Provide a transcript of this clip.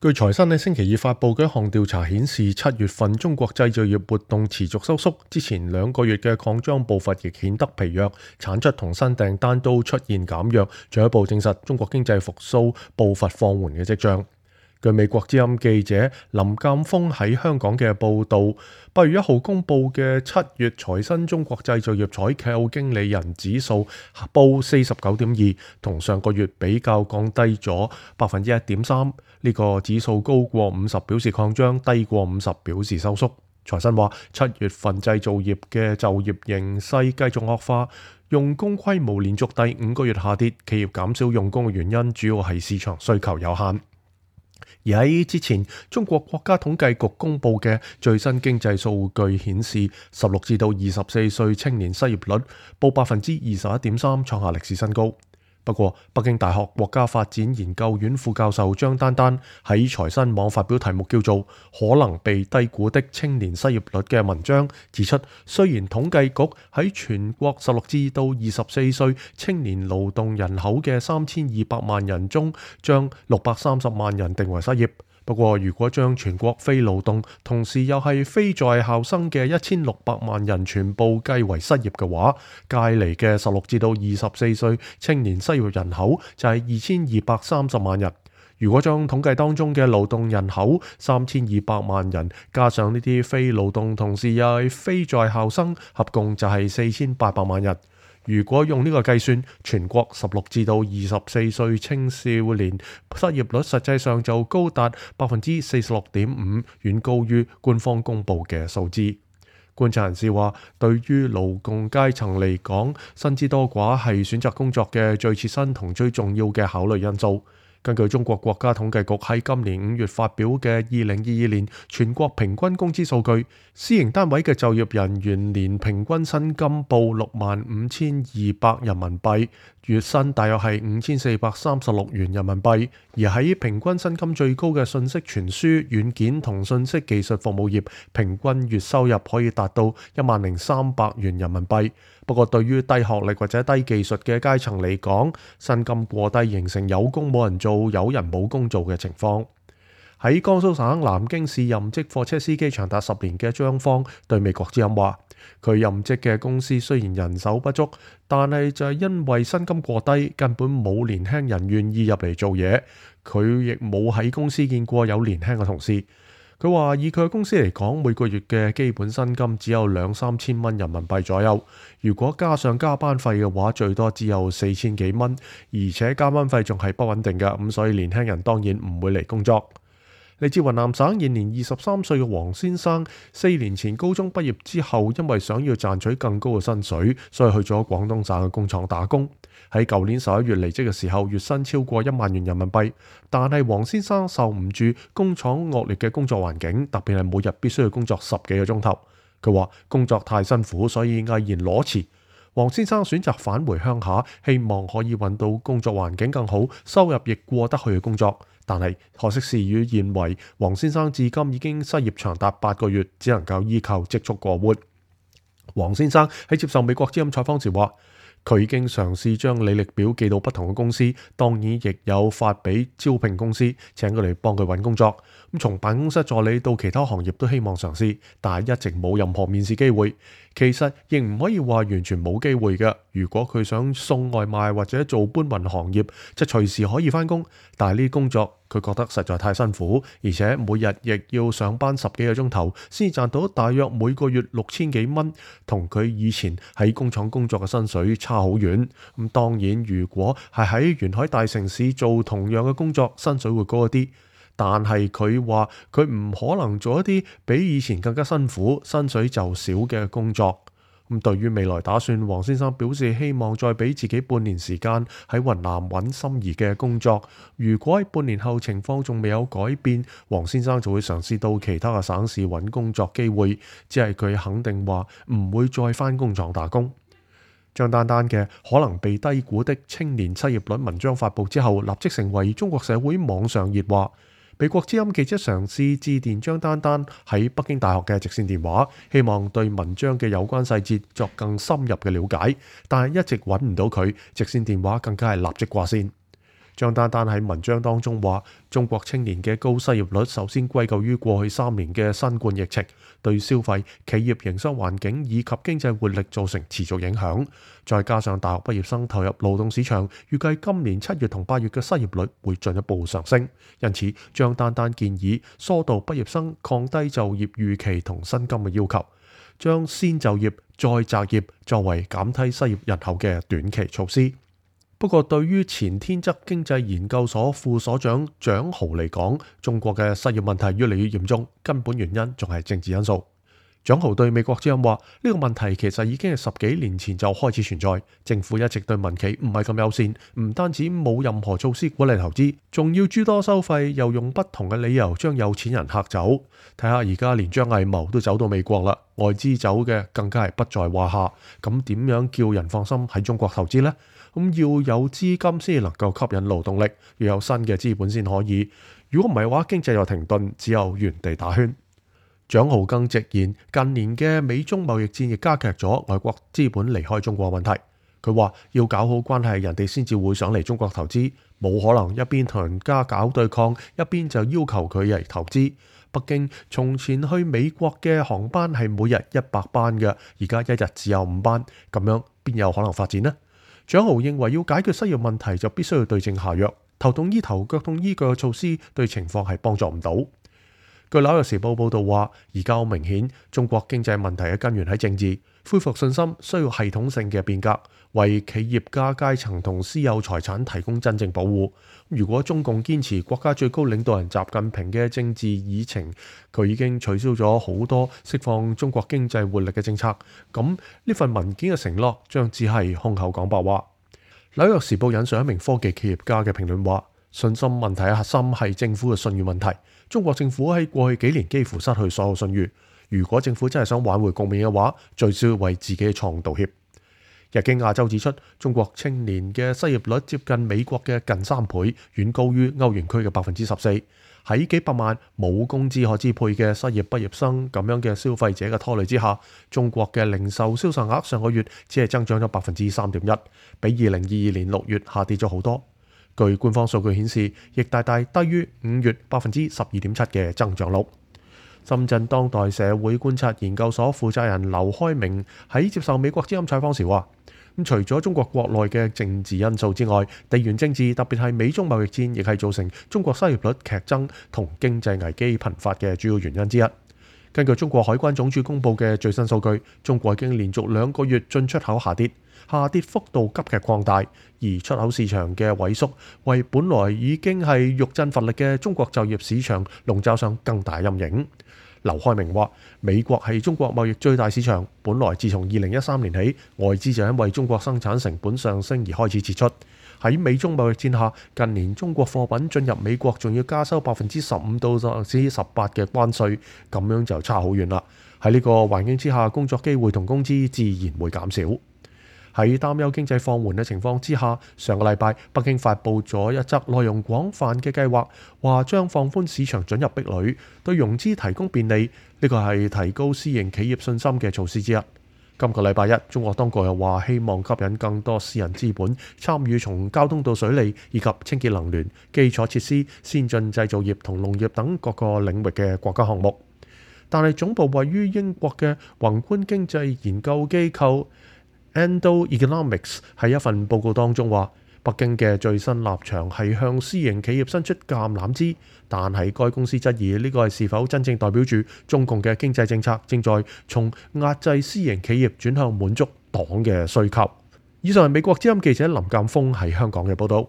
據財新喺星期二發布嘅一項調查顯示，7月份中國製造業活動持續收縮，之前2個月嘅擴張步伐亦顯得疲弱，產出同新訂單都出現減弱，進一步證實中國經濟復甦步伐放緩嘅跡象。據美國之音記者林鑑峰喺香港嘅報導，8月1號公佈嘅7月財新中國製造業採購經理人指數報49.2，同上個月比較降低咗1.3%。呢個指數高過50表示擴張，低過50表示收縮。財新話，7月份製造業嘅就業形勢繼續惡化，用工規模連續第5個月下跌，企業減少用工嘅原因主要係市場需求有限。而喺之前，中國國家統計局公佈嘅最新經濟數據顯示，16至到24歲青年失業率報21.3%，創下歷史新高。不過，北京大學國家發展研究院副教授張丹丹喺財新網發表題目叫做《可能被低估的青年失業率》嘅文章，指出雖然統計局喺全國16至到24歲青年勞動人口嘅3200萬人中，將630萬人定為失業。不過，如果將全國非勞動，同時又係非在校生嘅1600萬人全部計為失業嘅話，屆嚟嘅16至到24歲青年失業人口就係2230萬人。如果將統計當中嘅勞動人口3200萬人，加上呢啲非勞動，同時又係非在校生，合共就係4800萬人。如果用呢個計算，全國16至到24歲青少年失業率實際上就高達46.5%，遠高於官方公佈嘅數字。觀察人士話，對於勞動階層嚟講，薪資多寡係選擇工作嘅最切身同最重要嘅考慮因素。根據中國國家統計局喺今年5月發表嘅2022年全國平均工資數據，私營單位嘅就業人員年平均薪金報65,200人民幣，月薪大約係5436元人民幣。而喺平均薪金最高嘅信息傳輸、軟件同信息技術服務業，平均月收入可以達到10,300元人民幣。不過，對於低學歷或者低技術嘅階層嚟講，薪金過低形成有工冇人做、有人冇工做嘅情況。喺江蘇省南京市任職貨車司機長達10年嘅張芳對美國之音話，佢任職嘅公司雖然人手不足，但係就係因為薪金過低，根本冇年輕人願意入嚟做嘢。佢亦冇喺公司見過有年輕嘅同事。佢話以佢嘅公司嚟講，每個月嘅基本薪金只有2-3千蚊人民幣左右，如果加上加班費嘅話，最多只有4000幾蚊，而且加班費仲係不穩定嘅，咁所以年輕人當然唔會嚟工作。嚟自雲南省現年23歲嘅黃先生，4年前高中畢業之後，因為想要賺取更高嘅薪水，所以去咗廣東省嘅工廠打工。喺舊年11月離職嘅時候，月薪超過1萬元人民幣。但係黃先生受唔住工廠惡劣嘅工作環境，特別係每日必須要工作10幾個鐘頭。佢話工作太辛苦，所以毅然裸辭。黃先生選擇返回鄉下，希望可以揾到工作環境更好、收入亦過得去嘅工作。但係可惜事與願違，黃先生至今已經失業長達8個月，只能夠依靠積蓄過活。黃先生喺接受美國之音採訪時話，佢已經嘗試將履歷表寄到不同嘅公司，當然亦有發俾招聘公司，請佢哋幫佢揾工作。咁從辦公室助理到其他行業都希望嘗試，但係一直冇任何面試機會。其實亦唔可以話完全冇機會嘅。如果佢想送外賣或者做搬運行業，就隨時可以返工。但係呢啲工作佢覺得實在太辛苦，而且每日亦要上班10幾個鐘頭，先賺到大約每個月6000幾蚊，同佢以前喺工廠工作嘅薪水差好遠。咁當然，如果係喺沿海大城市做同樣嘅工作，薪水會高一啲。但係佢話佢唔可能做一啲比以前更加辛苦、薪水就少嘅工作。咁對於未來打算，黃先生表示希望再俾自己半年時間喺雲南揾心儀嘅工作。如果喺半年後情況仲未有改變，黃先生就會嘗試到其他嘅省市揾工作機會。只係佢肯定話唔會再返工廠打工。張丹丹嘅可能被低估的青年失業率文章發布之後，立即成為中國社會網上熱話。美國之音記者嘗試致電張丹丹喺北京大學嘅直線電話，希望對文章嘅有關細節作更深入嘅了解，但係一直揾唔到佢，直線電話更加係立即掛線。張丹丹喺文章當中話，中國青年嘅高失業率首先歸咎於過去3年嘅新冠疫情，對消費、企業營商環境以及經濟活力造成持續影響。再加上大學畢業生投入勞動市場，預計今年7月同8月嘅失業率會進一步上升。因此，張丹丹建議疏導畢業生降低就業預期同薪金嘅要求，將先就業再擇業作為減低失業人口嘅短期措施。不過，對於前天則經濟研究所副所長蔣豪嚟講，中國嘅失業問題越嚟越嚴重，根本原因仲係政治因素。蔣豪對美國之音話：呢個問題其實已經係10幾年前就開始存在，政府一直對民企唔係咁友善，唔單止冇任何措施鼓勵投資，仲要諸多收費，又用不同嘅理由將有錢人嚇走。睇下而家連張藝謀都走到美國啦，外資走嘅更加係不在話下。咁點樣叫人放心喺中國投資呢？咁要有資金先能夠吸引勞動力，要有新嘅資本先可以。如果唔係嘅話，經濟又停頓，只有原地打圈。蔣豪更直言，近年嘅美中貿易戰亦加劇咗外國資本離開中國問題。佢話要搞好關係，人哋先至會上嚟中國投資，冇可能一邊同人家搞對抗，一邊就要求佢嚟投資。北京從前去美國嘅航班係每日100班嘅，而家一日只有5班，咁樣邊有可能發展呢？蔣豪認為要解決失業問題，就必須要對症下藥，頭痛醫頭，腳痛醫腳嘅措施對情況係幫助唔到。據紐約時報報導話，而家好明顯，中國經濟問題嘅根源喺政治，恢復信心需要系統性嘅變革，為企業家階層同私有財產提供真正保護。如果中共堅持國家最高領導人習近平嘅政治議程，佢已經取消咗好多釋放中國經濟活力嘅政策，咁呢份文件嘅承諾將只係空口講白話。紐約時報引述一名科技企業家嘅評論話，信心問題嘅核心係政府嘅信譽問題。中國政府喺過去幾年幾乎失去所有信譽。如果政府真係想挽回局面嘅話，最少要為自己嘅錯誤道歉。日經亞洲指出，中國青年嘅失業率接近美國嘅近3倍，遠高於歐元區嘅14%。喺幾百萬冇工資可支配嘅失業畢業生咁樣嘅消費者嘅拖累之下，中國嘅零售銷售額上個月只係增長咗3.1%，比2022年6月下跌咗好多。據官方數據顯示，亦大大低於5月12.7%嘅增長率。深圳當代社會觀察研究所負責人劉開明喺接受美國之音採訪時話：除咗中國國內嘅政治因素之外，地緣政治特別係美中貿易戰，亦係造成中國失業率劇增同經濟危機頻發嘅主要原因之一。根據中國海關總署公佈嘅最新數據，中國已經連續2個月進出口下跌幅度急劇擴大，而出口市場嘅萎縮，為本來已經係玉振乏力嘅中國就業市場籠罩上更大陰影。劉開明話：美國係中國貿易最大市場，本來自從2013年起，外資就因為中國生產成本上升而開始撤出。喺美中貿易戰下，近年中國貨品進入美國仲要加收15%到18%嘅關稅，咁樣就差好遠啦。喺呢個環境之下，工作機會同工資自然會減少。喺擔憂經濟放緩嘅情況之下，上個禮拜北京發布咗一則內容廣泛嘅計劃，話將放寬市場准入壁壘，對融資提供便利。呢個係提高私營企業信心嘅措施之一。今個禮拜一，中國當局又話希望吸引更多私人資本參與從交通到水利以及清潔能源、基礎設施、先進製造業同農業等各個領域嘅國家項目。但係總部位於英國嘅宏觀經濟研究機構Endo Economics 喺一份報告當中話，北京嘅最新立場係向私營企業伸出橄欖枝，但係該公司質疑呢個係是否真正代表住中共嘅經濟政策正在從壓制私營企業轉向滿足黨嘅需求。以上係美國之音記者林鑑峰喺香港嘅報導。